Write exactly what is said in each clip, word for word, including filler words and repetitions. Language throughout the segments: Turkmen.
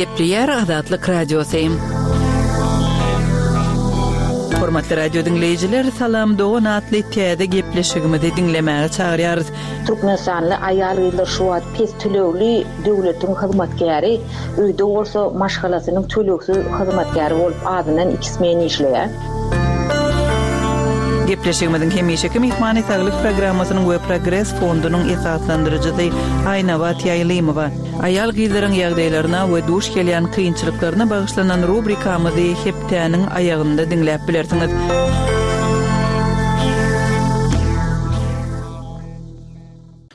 Gepleýär Azatlyk Radiosy. Hormatly radio diňleýjiler, Salam dogan atly täze gepleşigimizi diňlemäge çagyrýarys. Türkmenistanly aýal-gyzlar şu wagt pes tölegli döwletiň hyzmatkäri, öýde bolsa maşgalasynyň tölegsiz hyzmatkäri bolup azyndan iki smen işleýär. Gepleşigimiziň hemişeki myhmany Saglyk programmasynyň we Progres fondunyň esaslandyryjysy Aýnabat Ýaýlymowa. Aýal-gyzlaryň ýagdaýlaryna we duş gelýän kynçylyklaryna bagyşlanan rubrikamyzy hepdäniň aýagynda diňläp bilersiňiz.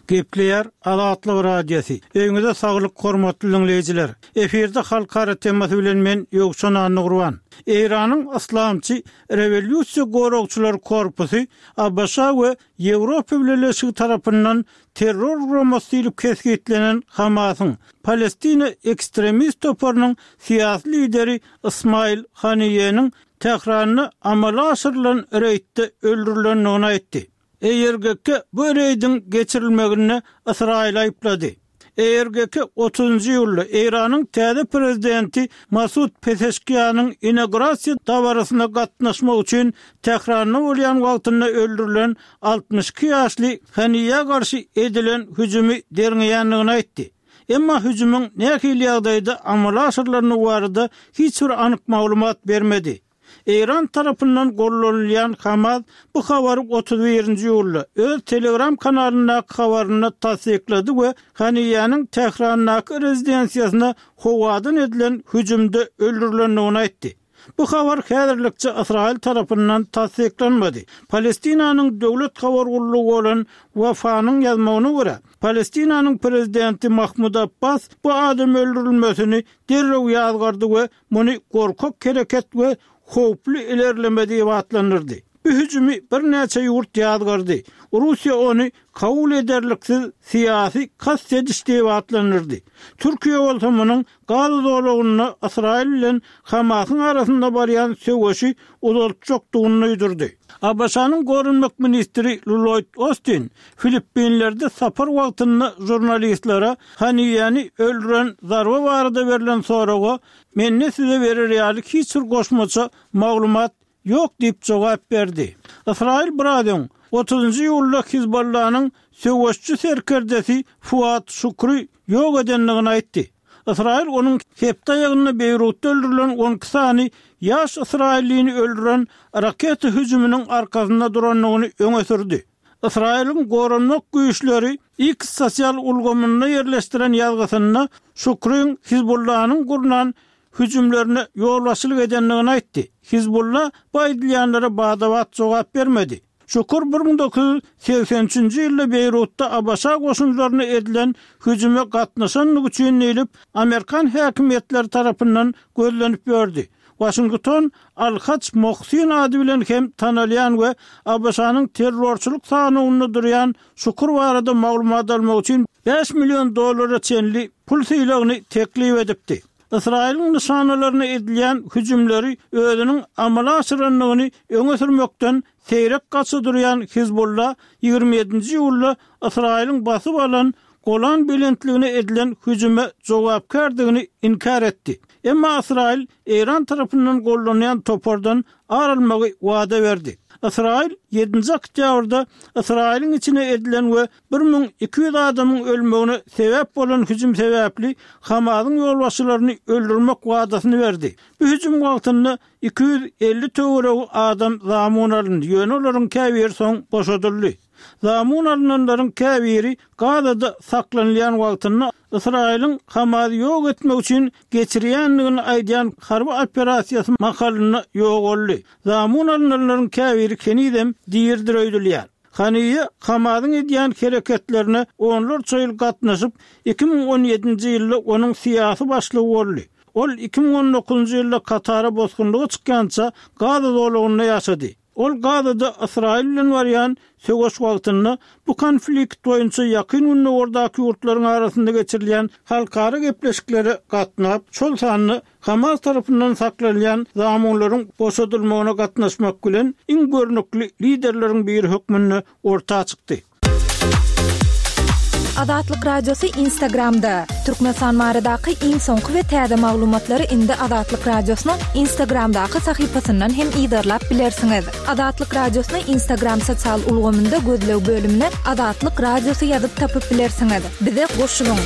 Gepleýär Azatlyk Radiosy. Öýüňize saglyk hormatly diňleýjiler. Efirde halkara temasy bilen men Ýowşan Annagurban. Eýranyň Yslamçy Rewolýusiýa goragçylar korpusy ABŞ we Ýewropa Bileleşigi tarapyndan terror guramasy diýlip kesgitlenen Hamasyň Palestina ekstremist toparynyň syýasy lideri Ismail Haniýeniň Tähranda amala aşyrylan reýdde öldürilendigini aýtdy. I R G K bu reýdiň geçirilmeginde Ysraýyly aýyplady. I R G K otuzynjy iýulda Eýranyň täze prezidenti Masud Pezeşkianyň inaugurasiýa dabarasyna gatnaşmak üçin Tähranda bolýan wagtynda öldürilen altmyş iki ýaşly Haniýä garşy edilen hüjümi derňeýändigini aýtdy. Emma hüjümiň nähili ýagdaýda amala aşyrylandygy barada hiç bir anyk maglumat bermedi. Eýran tarapyndan gollanylýan Hamas bu habary otuz birinji iýulda öz Telegram kanalyndaky habarynda tassyklady we Haniýäniň Tährandaky rezidensiýasyna howadan edilen hüjümde öldürilendigini aýtdy. Bu habar häzirlikçe Ysraýyl tarapyndan tassyklanmady. Palestinanyň döwlet habar gullugy bolan Wafanyň ýazmagyna görä, Palestinanyň prezidenti Mahmud Abbas bu adam öldürilmesini derrew ýazgardy we muny gorkak hereket we howply ilerleme diýip atlandyrdy. Bu hüjümi birnäçe ýurt ýazgardy. Russiýa ony kabul ederliksiz syýasy kast ediş diýip atlandyrdy. Türkiýe bolsa munuň Gaza zolagynda Ysraýyl bilen Hamasyň arasynda barýan söweşi uzaltjakdygyny duýdurdy. ABŞ-nyň goranmak ministri Lloýd Ostin Filippinlerde sapar wagtynda žurnalistlere Haniýeni öldüren zarba barada berlen soraga Mende size berer ýaly hiç bir goşmaça maglumat ýok diýip jogap berdi. Ysraýyl biraz öň, otuzynjy iýulda Hizbollanyň söweşçi serkerdesi Fuad Şukry ýok edendigini aýtdy. Ysraýyl onuň hepde aýagynda Beýrutda öldürilen on iki sany ýaş ysraýyllyny öldüren raketa hüjüminiň arkasynda durandygyny öňe sürdi. Ysraýylyň goranmak güýçleri X sosial ulgamynda ýerleşdiren ýazgysynda Şukryň Hizbullanyň gurnan hüjümlerine ýolbaşçylyk edendigini aýtdy. Hizbulla bu aýdylýanlara bada-bat jogap bermedi. Şukur bir müň dokuz ýüz segsen üçünji ýylda Beýrutda ABŞ goşunlaryna edilen hüjüme gatnaşandygy üçin diýlip, amerikan häkimiýetleri tarapyndan gözlenip ýördi. Waşington Al-Haj Mohsin ady bilen hem tanalýan we ABŞ-nyň terrorçylyk sanawynda durýan Şukur barada maglumat almak üçin bäş million dollara çenli pul sylagyny teklip edipdi. Ysraýylyň nyşanalaryna edilýän hüjümleri özüniň amala aşyrandygyny öňe sürmekden seýrek gaça durýan Hizbulla ýigrimi ýedinji iýulda Ysraýylyň basyp alan Golan belentligine edilen hüjüme jogapkärdigini inkär etdi. Emma Ysraýyl Eýran tarapyndan gollanýan topardan ar almagy wada berdi. Ysraýyl ýedinji oktýabrda Ysraýylyň içine edilen we bir müň iki ýüz adamyň ölmegine sebäp bolan hüjüm sebäpli Hamasyň ýolbaşçylaryny öldürmek wadasyny berdi. Bu hüjüm wagtynda iki ýüz elli töweregi adam zamun alyndy, ýöne olaryň käbiri soň boşadyldy. Zamun alynanlaryň käbiri Gazada saklanylýan wagtynda Ysraýylyň Hamasy ýok etmek üçin geçirýändigini aýdýan harby operasiýasy mahalynda ýogaldy. Zamun alynanlaryň käbiri henizem diridir öýdülýär. Haniýe Hamasyň edýän hereketlerine onlarça ýyl gatnaşyp, iki müň on ýedinji ýylda onuň syýasy başlygy boldy. Ol iki müň on dokuzynjy ýylda Katara bosgunlyga çykýança Gaza zolagynda ýaşady. Ol Gazada Ysraýyl bilen barýan söweş wagtynda bu konflikt boýunça Ýakyn Gündogardaky ýurtlaryň arasynda geçirilýän halkara gepleşiklere gatnap, şol sanda Hamas tarapyndan saklanylýan zamunlaryň boşadylmagyna gatnaşmak bilen iň görnükli liderleriň biri hökmünde orta çykdy. Azatlyk Radiosy Instagramda. Türkmenistan baradaky iň soňky we täze maglumatlary indi Azatlyk Radiosynyň Instagramdaky sahypasyndan hem yzarlap bilersiňiz. Azatlyk Radiosyny Instagram sosial ulgamynda gözleg bölümine Azatlyk Radiosy ýazyp tapyp bilersiňiz. Bize goşulyň.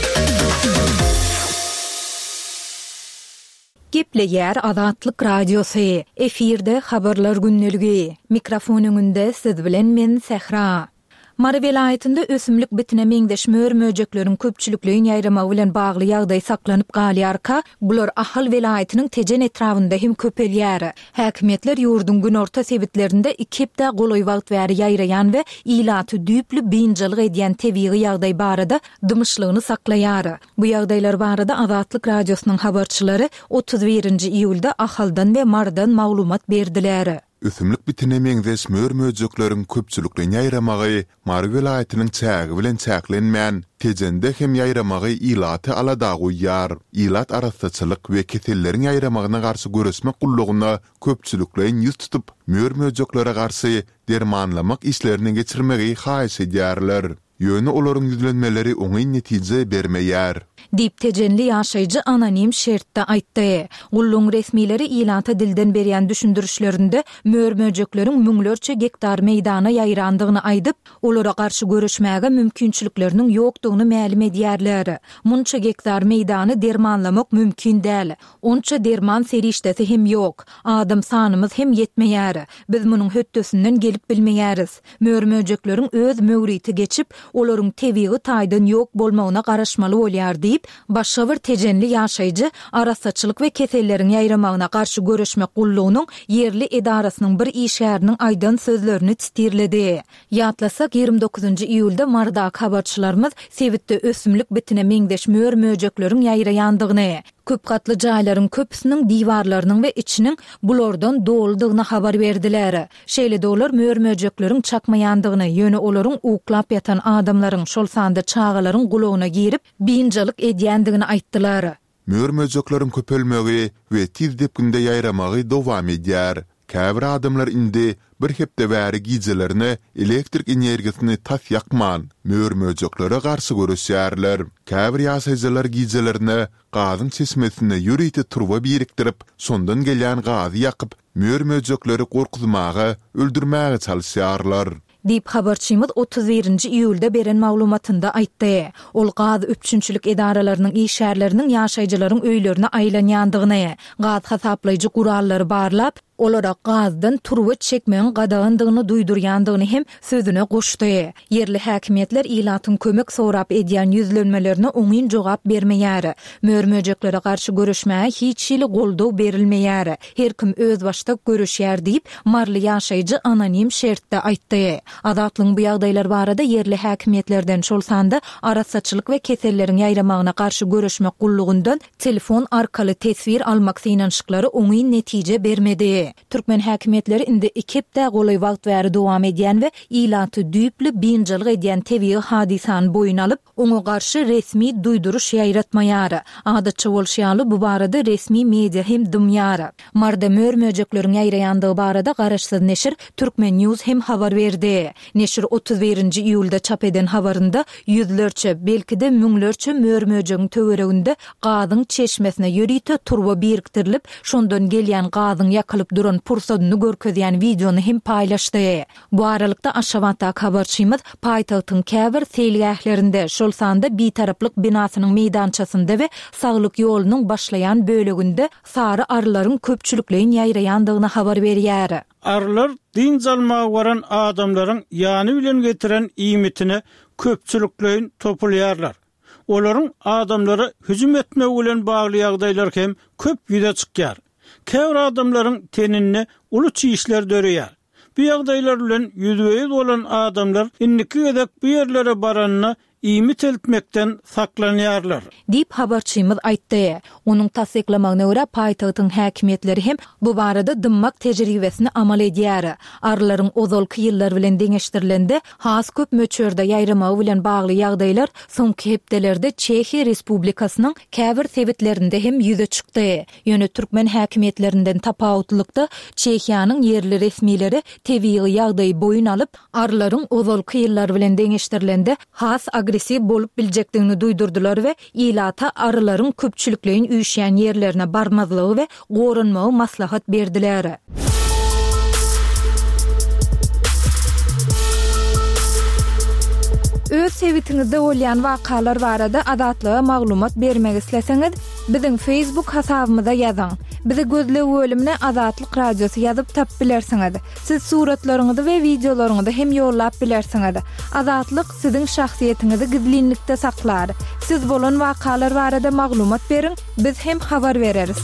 Gepleýär Azatlyk Radiosy. Efirde habarlar gündeligi. Mikrofon öňünde siz bilen men Sähra. Mary welaýatynda ösümlik bitine meňzeş mör-möjekleriň köpçülikleýin ýaýramagy bilen bagly ýagdaý saklanyp galýarka, bular Ahal welaýatynyň Tejen etrabynda hem köpelýär. Häkimiýetler ýurduň günorta sebitlerinde iki hepdä golaý wagt bäri ýaýraýan we ilaty düýpli biynjalyk edýän tebigy ýagdaý barada dymyşlygyny saklaýar. Bu ýagdaýlar barada Azatlyk Radiosynyň habarçylary otuz birinji iýulda Ahaldan we Marydan maglumat berdiler. Ösümlik bitine meňzeş mör-möjekleriň köpçülikleýin ýaýramagy Mary welaýatynyň çägi bilen çäklenmän, Tejende hem ýaýramagy ilaty alada goýýar. Ilat arassaçylyk we keselleriň ýaýramagyna garşy göreşmek gullugyna köpçülikleýin ýüz tutup, mör-möjeklere garşy dermanlamak işlerini geçirmegi haýyş edýärler. Ýöne olaryň ýüzlenmeleri oňyn netije bermeýär. Diýip, tejenli ýaşaýjy anonim şertde aýtdy. Gullugyň resmileri ilata dilden berýän düşündirişlerinde mör-möjekleriň müňlerçe gektar meýdana ýaýrandygyny aýdyp, olara garşy göreşmäge mümkinçilikleriniň ýokdugyny mälim edýärler. Munça gektar meýdany dermanlamak mümkin däl. Onça derman serişdesi hem ýok. Adam sanymyz hem ýetmeýär. Biz munuň hötdesinden gelip bilmeýäris. Mör-möjekleriň öz möwriti geçip, olaryň tebigy taýdan ýok bolmagyna garaşmaly bolýar diýip, başga bir tejenli ýaşaýjy Arassaçylyk we keselleriň ýaýramagyna garşy göreşmek gullugynyň ýerli edarasynyň bir işgäriniň aýdan sözlerini titirledi. Ýatlasak, ýigrimi dokuzynjy iýulda Marydaky habarçylarymyz sebitde ösümlik bitine meňzeş mör-möjekleriň ýaýraýandygyny, köp gatly jaýlaryň köpüsiniň diwarlarynyň we içiniň bulardan doludygyny habar berdiler. Şeýle-de olar mör-möjekleriň çakmaýandygyny, ýöne olaryň uklap ýatan adamlaryň, şol sanda çagalaryň gulagyna girip, biynjalyk edýändigini aýtdylar. Mör-möjekleriň köpelmegi we tiz depginde ýaýramagy dowam edýär. Käbir adamlar indi bir hepde bäri gijelerine elektrik energiýasyny tas ýakman, mör-möjeklere garşy göreşýärler. Käbir ýaşaýjylar gijelerine gazyň çeşmesine ýörite turba birikdirip, şondan gelýän gazy ýakyp, mör-möjekleri gorkuzmaga, öldürmäge çalyşýarlar. Diýip, habarçymyz otuz birinji iýulda beren maglumatynda aýtdy. Ol gaz üpjünçilik edaralarynyň işgärleriniň ýaşaýjylaryň öýlerine aýlanýandygyny, gaz hasaplaýjy gurallary barlap, olara gazdan turba çekmegiň gadagandygyny duýdurýandygyny hem sözüne goşdy. Ýerli häkimiýetler ilatyň kömek sorap edýän ýüzlenmelerine oňyn jogap bermeýär. Mör-möjeklere garşy göreşmäge hiç hili goldaw berilmeýär. Her kim özbaşdak göreşýär diýip, maryly ýaşaýjy anonim şertde aýtdy. Azatlygyň bu ýagdaýlar barada ýerli häkimiýetlerden, şol sanda Arassaçylyk we keselleriň ýaýramagyna garşy göreşmek gullugyndan telefon arkaly teswir almak synanyşyklary oňyn netije bermedi. Türkmen häkimiýetleri indi iki hepdä golaý wagt bäri dowam edýän we ilaty düýpli biynjalyk edýän tebigy hadysany boýun alyp, oňa garşy resmi duýduryş ýaýratmaýar. Adatça bolşy ýaly, bu barada resmi media hem dymýar. Maryda mör-möjekleriň ýaýraýandygy barada garaşsyz neşir Turkmen News hem habar berdi. Neşir otuz birinji iýulda çap eden habarynda ýüzlerçe, belki-de müňlerçe mör-möjegiň töwereginde gazyň çeşmesine ýörite turba birikdirilip, şondan gelýän gazyň ýakylyp duran pursadyny görkezýän wideony hem paýlaşdy. Bu aralykda, Aşgabatdaky habarçymyz paýtagtyň käbir seýilgählerinde, şol sanda Bitaraplyk binasynyň meýdançasynda we Saglyk ýolunyň başlaýan böleginde sary arylaryň köpçülikleýin ýaýraýandygyny habar berýär. Arylar dynç almaga baran adamlaryň ýany bilen getiren iýmitine köpçülikleýin topulýarlar. Olaryň adamlara hüjüm etmegi bilen bagly ýagdaýlar hem köp ýüze çykýar. Käbir adamlaryň teninde uly çişler döreýär. Bu ýagdaýlar bilen ýüzbe-ýüz bolan adamlar indiki gezek bu ýerlere baranda iýmit eltmekden saklanýarlar. Diýip, habarçymyz aýtdy. Onuň tassyklamagyna görä, paýtagtyň häkimiýetleri hem bu barada dymmak tejribesini amal edýär. Arylaryň ozalky ýyllar bilen deňeşdirilende, has köp möçberde ýaýramagy bilen bagly ýagdaýlar soňky hepdelerde Çehiýa Respublikasynyň käbir sebitlerinde hem ýüze çykdy. Ýöne türkmen häkimiýetlerinden tapawutlylykda, Çehiýanyň ýerli resmileri tebigy ýagdaýy boýun alyp, arylaryň ozalky ýyllar bilen deňeşdirilende has agressiw Agressiw bolup biljekdigini duýdurdylar we ilata arylaryň köpçülikleýin üýşýän ýerlerine barmazlygy we goranmagy maslahat berdiler. Öz sebitiňizde bolýan wakalar barada Azatlyga maglumat bermek isleseňiz, biziň Facebook hasabymyza ýazyň. Bizi gözleg bölümine Azatlyk Radiosy ýazyp tapyp bilersiňiz. Siz suratlaryňyzy we wideolaryňyzy hem ýollap bilersiňiz. Azatlyk siziň şahsyýetiňizi gizlinlikde saklar. Siz bolan wakalar barada maglumat beriň, biz hem habar bereris.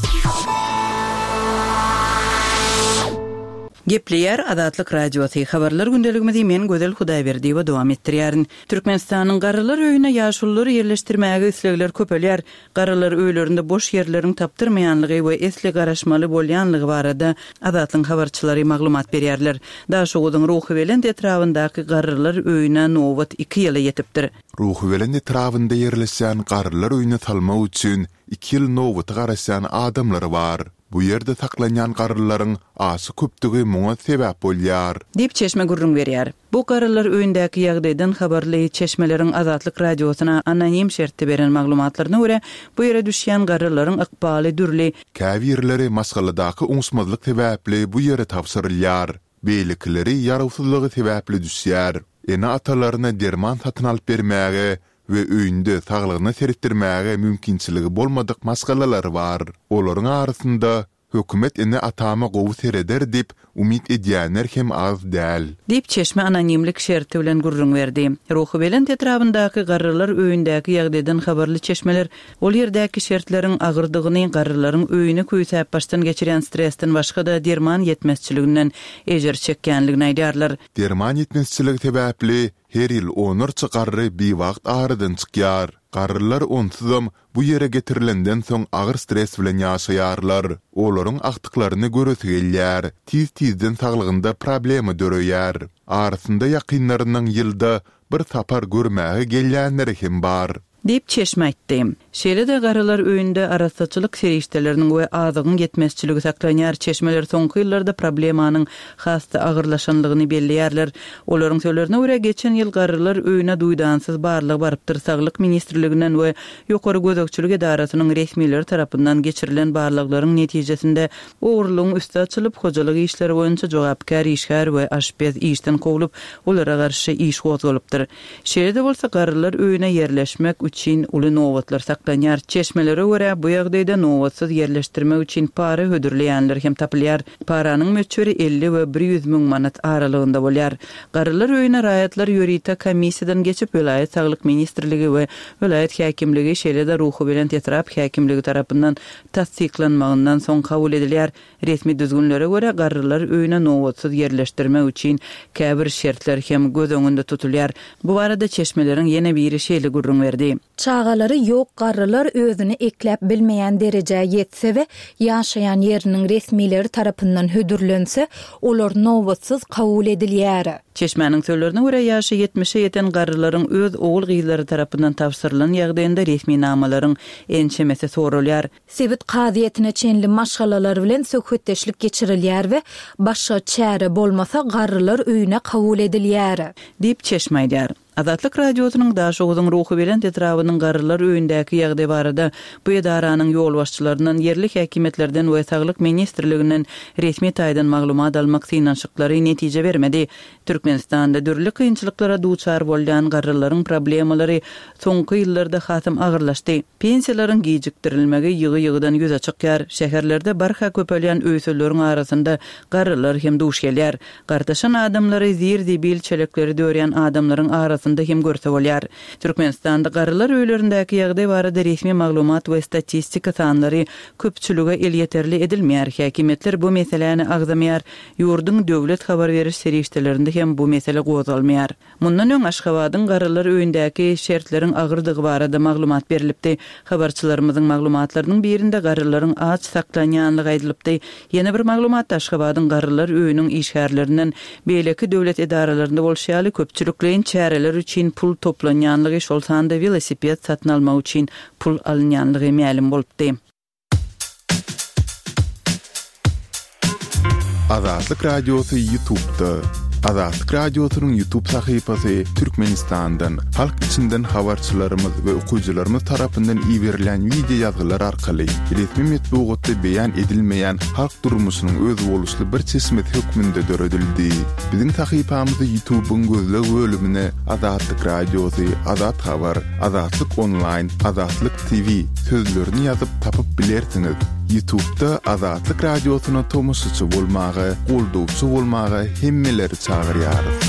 Gepleýär Azatlyk Radiosy. Habarlar gündeligimizi men Gözel Hudaýberdiýewa dowam etdirýärin. Türkmenistanyň Garrylar öýüne ýaşululary ýerleşdirmäge islegler köpelýär. Garrylar öýlerinde boş ýerleriň tapdyrmaýanlygy we esli garaşmaly bolýanlygy barada Azatlygyň habarçylary maglumat berýärler. Daşoguzyň Ruhubelent etrabyndaky Garrylar öýüne nobat iki ýyla ýetipdir. Ruhubelent etrabynda ýerleşýän Garrylar öýüne salmak üçin iki ýyl nobata garaşýan adamlar bar. Bu ýerde saklanýan garrylaryň aşa köpdügi muňa sebäp bolýar. Diýip çeşme gürrüň berýär. Bu garrylar öýündäki ýagdaýdan habarly çeşmeleriň Azatlyk Radiosyna anonim şertde beren maglumatlaryna görä, bu ýere düşýän garrylaryň ykbaly dürli. Käbirleri maşgaladaky oňuşmazlyk sebäpli bu ýere tabşyrylýar. Beýlekileri ýarawsyzlygy sebäpli düşýär. Ene-atalaryna derman satyn alyp bermäge we öýünde saglygyna seretdirmäge mümkinçiligi bolmadyk maşgalalar bar. Olaryň arasynda hökümet ene-atama gowy sereder diýip umyt edýänler hem az däl. Diýip çeşme anonimlik şerti bilen gürrüň berdi. Ruhubelent etrabyndaky garrylar öýündäki ýagdaýdan habarly çeşmeler ol ýerdäki şertleriň agyrdygyny, garrylaryň öýüni küýsäp başdan geçirýän stresden başga-da derman ýetmezçiliginden ejir çekýänligini aýdýarlar. Derman ýetmezçiligi sebäpli her ýyl onlarça garry biwagt aradan çykýar. Garrylar onsuzam bu ýere getirilenden soň agyr stres bilen ýaşaýarlar. Olaryň agtyklaryny göresi gelýär. Tiz-tizden saglygynda problema döreýär. Arasynda ýakynlarynyň ýylda bir sapar görmäge gelýänleri hem bar. Diýip çeşme aýtdy. Şeýle-de garrylar öýünde arassaçylyk serişdeleriniň we azygyň ýetmezçiligi saklanýar. Çeşmeler soňky ýyllarda problemanyň has-da agyrlaşanlygyny belleýärler. Olaryň sözlerine görä, geçen ýyl garrylar öýüne duýdansyz barlygy barypdyr. Saglyk ministrliginden we ýokary gözegçilik edarasynyň resmileri tarapyndan geçirilen barlaglaryň netijesinde ogurlygyň üsti açylyp, hojalyk işleri boýunça jogapkär işgär we aşpez işden kowlup, olara garşy iş gozgalypdyr. Şeýle-de bolsa garrylar öýüne ýerleşmek üçin uly nobatlar saklanýar. Çeşmelere görä, bu ýagdaýda nobatsyz ýerleşdirmek üçin para hödürleýänler hem tapylýar. Paranyň möçberi elli we bir ýüz müň manat aralygynda bolýar. Garrylar öýüne raýatlar ýörite komissiýadan geçip, welaýat saglyk ministrligi we welaýat häkimligi, şeýle-de Ruhubelent etrap häkimligi tarapyndan tassyklanmagyndan soň kabul edilýär. Resmi düzgünlere görä, garrylar öýüne nobatsyz ýerleşdirmek üçin käbir şertler hem göz öňünde tutulýar. Bu barada çeşmeleriň ýene biri şeýle gürrüň berdi. Çagalary ýok garrylar özüni ekläp bilmeýän derejä ýetse we ýaşaýan ýeriniň resmileri tarapyndan hödürlense, olar nobatsyz kabul edilýär. Çeşmäniň sözlerine görä, ýaşy ýetmişe ýeten garrylaryň öz ogul gyzlary tarapyndan tabşyrylan ýagdaýynda resminamalaryň ençemesi sorulýar. Sebit kazyýetine çenli maşgalalar bilen söhbetdeşlik geçirilýär we başga çäre bolmasa garrylar öýüne kabul edilýär. Diýip çeşme aýdýar. Azatlyk Radiosynyň Daşoguzyň Ruhubelent etrabynyň garrylar öýündäki ýagdaý barada bu edaranyň ýolbaşçylaryndan, ýerli häkimiýetlerden we saglyk ministrliginden resmi taýdan maglumat almak synanyşyklary netije bermedi. Türkmenistanda dürli kynçylyklara duçar bolýan garrylaryň problemalary soňky ýyllarda hasam agyrlaşdy. Pensiýalaryň gijikdirilmegi ýygy-ýygydan ýüze çykýar. Şäherlerde barha köpelýän öýsüzleriň arasynda garrylar hem duş gelýär. Gartaşan adamlary zir-zibil çelekleri dörýän adamlaryň arasynda hem görse bolýar. Türkmenistanda garrylar öýlerindäki ýagdaý barada resmi maglumat we statistika sanlary köpçülige elýeterli edilmeýär. Häkimiýetler bu meseläni agzamaýar. Ýurduň döwlet habar beriş serişdelerinde hem bu mesele gozgalmaýar. Mundan öň Aşgabadyň garrylar öýündäki şertleriň agyrdygy barada maglumat berilipdi. Habarçylarymyzyň maglumatlarynyň birinde garrylaryň aç saklanýanlygy aýdylypdy. Ýene bir maglumatda Aşgabadyň garrylar öýüniň işgärlerinden beýleki döwlet edaralarynda bolşy ýaly köpçülikleýin çäreler üçin pul toplanýanlygy, şol sanda welosiped satyn almak üçin pul alynýanlygy mälim bolupdy. Azatlyk Radiosy YouTube'da. Azatlyk Radiosynyň YouTube sahypasy Türkmenistandan, halk içinden habarçylarymyz we okyjylarymyz tarapyndan iberilýän wideo ýazgylar arkaly resmi metbugatda beýan edilmeýän halk durmuşynyň özboluşly bir çeşmesi hökmünde döredildi. Biziň sahypamyzy YouTube-yň gözleg bölümine Azatlyk Radiosy, Azat Habar, Azatlyk Onlaýn, Azatlyk T V sözlerini ýazyp tapyp bilersiňiz. YouTube-da Azatlyk Radiosyna tomaşaçy bolmaga, goldawçy bolmaga hemmeleri çagyrýarys.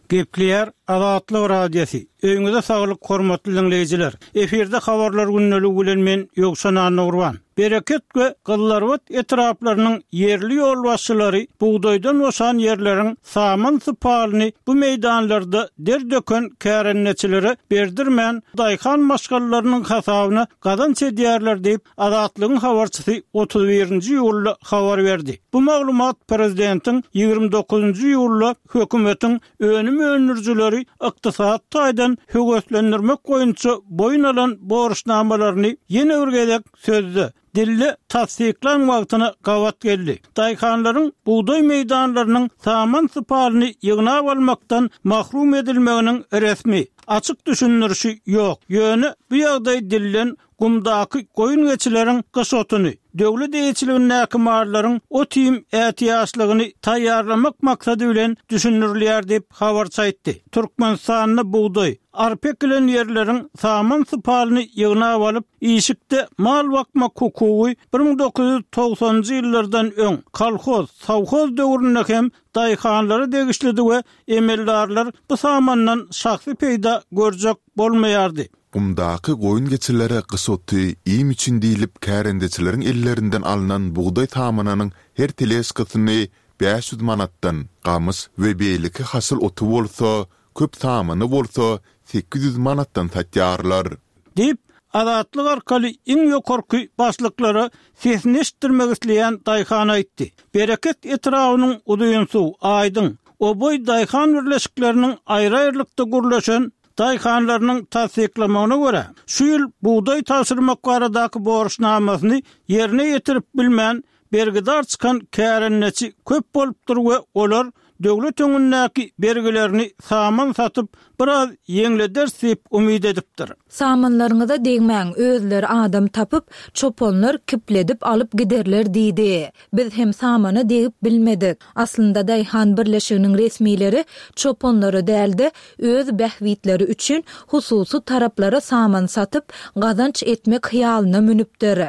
Gepleýär Azatlyk Radiosy. Öýüňize saglyk, hormatly diňleýjiler. Efirde habarlar gündeligi bilen men Ýowşan Annagurban. Bereket we Gyzylarbat etraplarynyň ýerli ýolbaşçylary bugdaýdan boşan ýerleriň saman sypalyny bu meýdanlarda der döken kärendeçilere berdirmän, daýhan maşgalalarynyň hasabyna gazanç edýärler diýip, Azatlygyň habarçysy otuz birinji iýulda habar berdi. Bu maglumat prezidentiň ýigrimi dokuzynjy iýulda hökümetiň önüm öndürijileri ykdysady taýdan höweslendirmek boýunça boýun alan borçnamalaryny ýene bir gezek sözde, dilde tassyklan wagtyna gabat geldi. Daýhanlaryň bugdaý meýdanlarynyň saman sypalyny ýygnap almakdan mahrum edilmeginiň resmi, açyk düşündirişi ýok. Ýöne bu ýagdaý dilden gumdaky goýun-geçileriň gyş otuny, döwlet eýeçiligindäki mallaryň ot-iým ätiýaçlygyny taýýarlamak maksady bilen düşündirilýär diýip, habarçy aýtdy. Türkmenistanda bugdaý, arpa ekilen ýerleriň saman sypalyny ýygnap alyp, işikde mal bakmak hukugy bir müň dokuz ýüz togsanynjy ýyllardan öň, kolhoz, sowhoz döwründe hem daýhanlara degişlidi we emeldarlar bu samandan şahsy peýda görjek bolmaýardy. Gumdaky goýun-geçilere gyş oty, iým üçin diýlip kärendeçileriň ellerinden alnan bugdaý samanynyň her teležkasyny bäş ýüz manatdan, gamyş we beýleki hasyl oty bolsa, köp samany bolsa sekiz ýüz manatdan satýarlar. Diýip, Azatlyk arkaly iň ýokarky başlyklara sesini eşitdirmek isleýän daýhan aýtdy. Bereket etrabynyň Uzynsuw, Aýdyň, Oboý daýhan birleşikleriniň aýry-aýrylykda gürleşen daýhanlarynyň tassyklamagyna görä, şu ýyl bugdaý tabşyrmak baradaky borçnamasyny ýerine ýetirip bilmän, bergidar çykan kärendeçi köp bolupdyr we olar döwlet öňündäki bergilerini saman satyp, biraz ýeňlederis diýip umyt edipdir. Samanlaryňyza degmäň, özleri adam tapyp, çopanlar kipledip alyp giderler diýdi. Biz hem samana degip bilmedik. Aslynda daýhan birleşiginiň resmileri çopanlara däl-de, öz bähbitleri üçin hususy taraplara saman satyp, gazanç etmek hyýalyna münüpdir.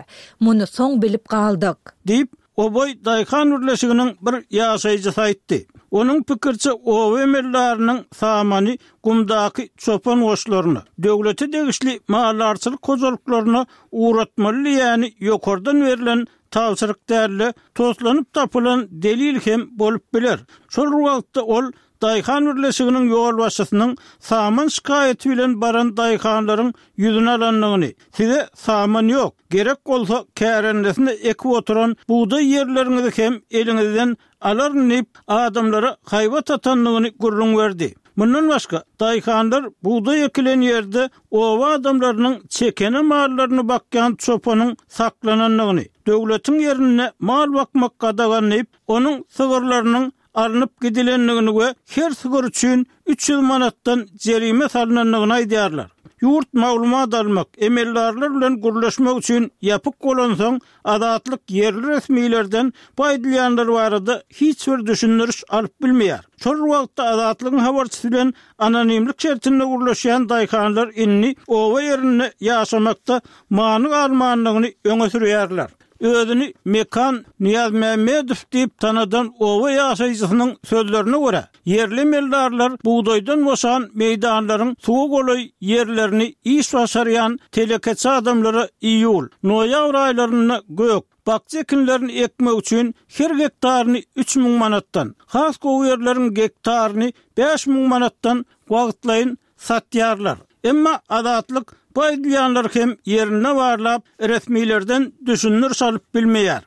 Muny soň bilip galdyk. Diýip, Oboý daýhan birleşiginiň bir ýaşaýjysy aýtdy. Onuň pikiriçe, oba emeldarynyň samany gumdaky çopan goşlaryna, döwlete degişli maldarçylyk hojalyklaryna ugratmaly diýýäni ýokardan berlen tabşyryk däl-de, toslanyp tapylan delil hem bolup biler. Şol bir wagtda ol daýhan birleşiginiň ýolbaşçysynyň saman şikaýaty bilen baran daýhanlaryň ýüzüni alandygyny, size saman ýok, gerek bolsa kärendesine ekip oturan bugdaý ýerleriňizi hem eliňizden alaryn diýip, adamlara haýbat atandygyny gürrüň berdi. Mundan başga, daýhanlar bugdaý ekilen ýerde oba adamlarynyň çekene mallaryny bakýan çopanyň saklanandygyny, döwletiň ýerinde mal bakmak gadagan diýip, onuň sygyrlarynyň alnyp gidilendigini we her sygyr üçin üç ýüz manatdan jerime salnandygyny aýdýarlar. Ýurt maglumat almak, emeldarlar bilen gürleşmek üçin ýapyk bolansoň, Azatlyk ýerli resmilerden bu aýdylýanlar barada hiç bir düşündiriş alyp bilmeýär. Şol bir wagtda Azatlygyň habarçysy bilen anonimlik şertinde gürleşýän daýhanlar indi oba ýerinde ýaşamakda many galmandygyny öňe sürýärler. Özüni Mekan Nyýazmämmedow diýip tanadan oba ýaşaýjysynyň sözlerine görä, ýerli emeldarlar bugdaýdan boşan meýdanlaryň suwa golaý ýerlerini iş başarýan telekeçi adamlara iýul, noýabr aýlarynda gök, bakja ekinlerini ekmek üçin her gektaryny üç müň manatdan, has gowy ýerleriň gektaryny bäş müň manatdan wagtlaýyn satýarlar. Emma Azatlyk bu aýdylýanlary hem ýerinde barlap, resmilerden düşündiriş alyp bilmeýär.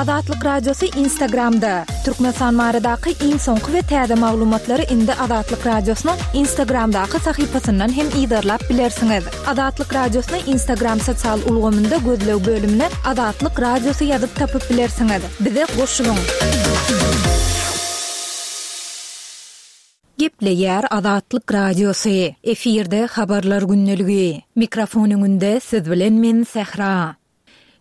Azatlyk Radiosy Instagramda. Türkmenistan baradaky iň soňky we täze maglumatlary indi Azatlyk Radiosynyň Instagramdaky sahypasyndan hem yzarlap bilersiňiz. Azatlyk Radiosyny Instagram sosial ulgamynda gözleg bölümine Azatlyk Radiosy ýazyp tapyp bilersiňiz. Bize goşulyň! Gepleýär Azatlyk Radiosy. Efirde habarlar gündeligi. Mikrofon öňünde siz bilen men Sähra.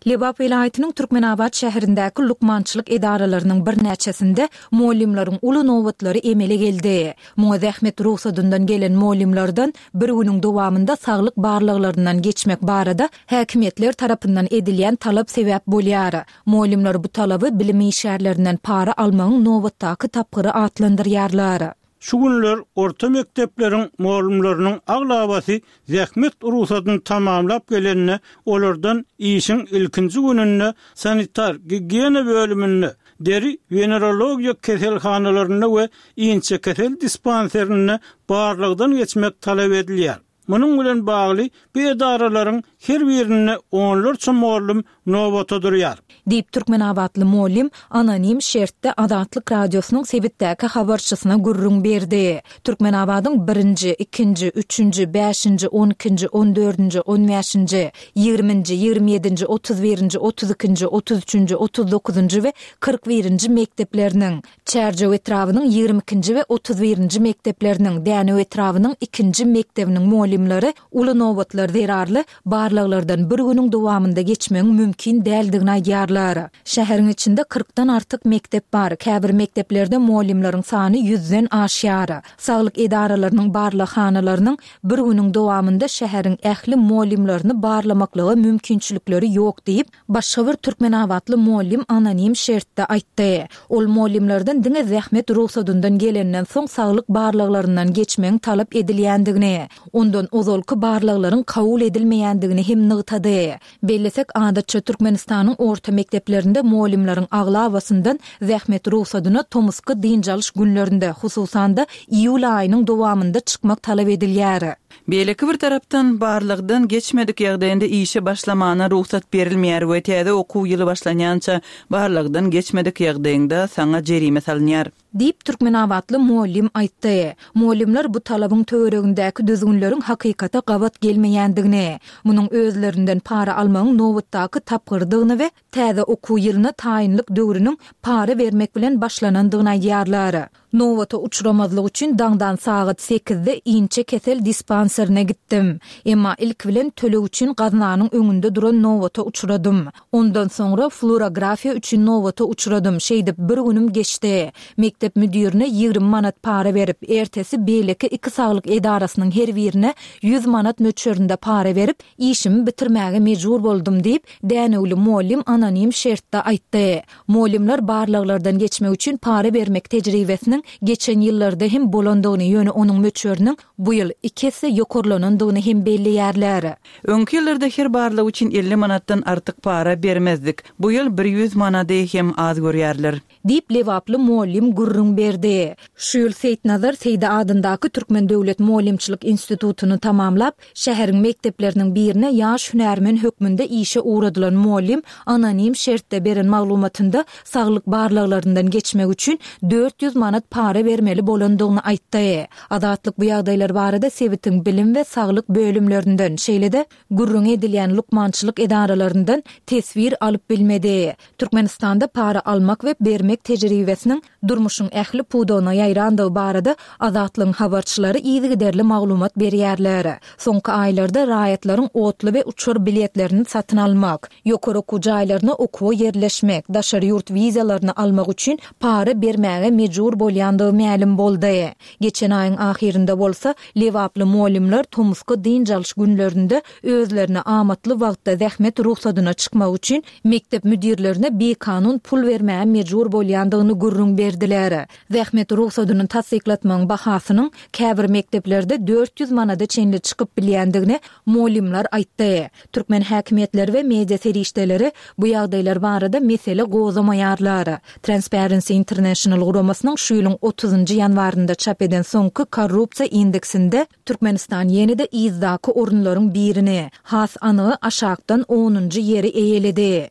Lebap welaýatynyň Türkmenabat şäherindäki lukmançylyk edaralarynyň birnäçesinde mugallymlaryň uly nobatlary emele geldi. Muňa zähmet rugsadyndan gelen mugallymlardan bir günüň dowamynda saglyk barlaglaryndan geçmek barada häkimiýetler tarapyndan edilýän talap sebäp bolýar. Mugallymlar bu talaby bilim işgärlerinden para almagyň nobatdaky tapgyry atlandyrýarlar. Şu günler orta mekdepleriň mugallymlarynyň aglabasy zähmet rugsadyny tamamlap gelende, olardan işiň ilkinji gününde sanitar-gigiýena bölüminde, deri-wenerologiýa keselhanalarynda we inçekesel dispanserinde barlagdan geçmek talap edilýär. Munuň bilen bagly, bu edaralaryň her birinde onlarça mugallym nobata durýar. Diýip, türkmenabatly mugallym anonim şertde Azatlyk Radiosynyň sebitdäki habarçysyna gürrüň berdi. Türkmenabadyň birinji, ikinji, üçünji, bäşinji, on ikinji, on dördünji, on bäşinji, ýigriminji, ýigrimi ýedinji, otuz birinji, otuz ikinji, otuz üçünji, otuz dokuzynjy we kyrk birinji mekdepleriniň, Çärjew etrabynyň ýigrimi ikinji we otuz birinji mekdepleriniň, Dänew etrabynyň ikinji mekdebiniň mugallymlary uly nobatlar zerarly barlaglardan bir günüň dowamynda geçmegiň mümkin däldigini aýdýarlar. Şäheriň içinde kyrkdan artyk mekdep bar, käbir mekdeplerde mugallymlaryň sany ýüzden aşýar. Saglyk edaralarynyň barlaghanalarynyň bir günüň dowamynda şäheriň ähli mugallymlaryny barlamaklyga mümkinçilikleri ýok diýip, başga bir türkmenabatly mugallym anonim şertde aýtdy. Ol mugallymlardan diňe zähmet rugsadyndan gelenden soň saglyk barlaglaryndan geçmegiň talap edilýändigini, ondan ozalky barlaglaryň kabul edilmeýändigini hem nygtady. Bellesek, adatça Türkmenistanyň orta mekdeplerinde mugallymlaryň aglabasyndan zähmet rugsadyna tomusky dynç alyş günlerinde, hususan-da, iýul aýynyň dowamynda çykmak talap edilýär. Beýleki bir tarapdan, barlagdan geçmedik ýagdaýynda işe başlamana rugsat berilmeýär we täze okuw ýyly başlanýança barlagdan geçmedik ýagdaýyňda saňa jerime salynýar. Diýip, türkmenabatly mugallym aýtdy. Mugallymlar bu talabyň töweregindäki düzgünleriň hakykata gabat gelmeýändigini, munuň özlerinden para almagyň nobatdaky tapgyrydygyny we täze okuw ýylyna taýynlyk döwrüniň para bermek bilen başlanandygyny aýdýarlar. Nobata uçramazlyk üçin daňdan sagat sekizde inçe kesel dispanserine gitdim. Emma ilki bilen töleg üçin gaznanyň öňünde duran nobata uçradym. Ondan soňra fluorografiýa üçin nobata uçradym. Şeýdip bir günüm geçdi. Mekdep müdirine ýigrimi manat para berip, ertesi beýleki iki saglyk edarasynyň her birine ýüz manat möçberinde para berip, işimi bitirmäge mejbur boldum diýip, dänewli mugallym anonim şertde aýtdy. Mugallymlar barlaglardan geçmek üçin para bermek tejribesiniň geçen ýyllarda hem bolandygyny, ýöne onuň möçberiniň bu ýyl iki esse ýokarlanandygyny hem belleýärler. Öňki ýyllarda her barlag üçin elli manatdan artyk para bermezdik. Bu ýyl bir ýüz manady hem az görýärler. Diýip, lebaply mugallym gürrüň berdi. Şu ýyl Seýitnazar Seýdi adyndaky Türkmen döwlet mugallymçylyk institutyny tamamlap, şäheriň mekdepleriniň birine ýaş hünärmen hökmünde işe ugradylan mugallym anonim şertde beren maglumatynda saglyk barlaglaryndan geçmek üçin dört ýüz manat para bermeli bolandygyny aýtdy. Azatlyk bu ýagdaýlar barada sebitiň bilim we saglyk bölümlerinden, şeýle-de gürrüňi edilýän lukmançylyk edaralaryndan teswir alyp bilmedi. Türkmenistanda para almak we bermek tejribesiniň durmuşyň ähli pudagyna ýaýrandygy barada Azatlygyň habarçylary yzygiderli maglumat berýärler. Soňky aýlarda raýatlaryň otly we uçar biletlerini satyn almak, ýokary okuw jaýlaryna okuwa ýerleşmek, daşary ýurt wizalaryny almak üçin para bermäge mejbur bolýandygy mälim boldy. Geçen aýyň ahyrynda bolsa, lebaply mugallymlar tomusky dynç alyş günlerinde özlerine amatly wagtda zähmet rugsadyna çykmak üçin mekdep müdirlerine bikanun pul bermäge mejbur bolýandygyny gürrüň berdiler. Zähmet rugsadyny tassyklatmagyň bahasynyň käbir mekdeplerde dört ýüz manada çenli çykyp bilýändigini mugallymlar aýtdy. Türkmen häkimiýetleri we media serişdeleri bu ýagdaýlar barada mesele gozamaýarlar. Transparency International guramasynyň şu ýylyň otuzynjy ýanwarynda çap eden soňky korrupsiýa indeksinde Türkmenistan ýene-de yzdaky orunlaryň birini, has anygy aşakdan onunjy ýeri eýeledi.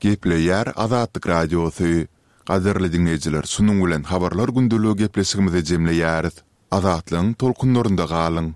Gepleýär Azatlyk Radiosy. Gadyrly diňleýjiler, şunuň bilen Habarlar gündeligi gepleşigimizi jemleýäris. Azatlygyň tolkunlarynda galyň!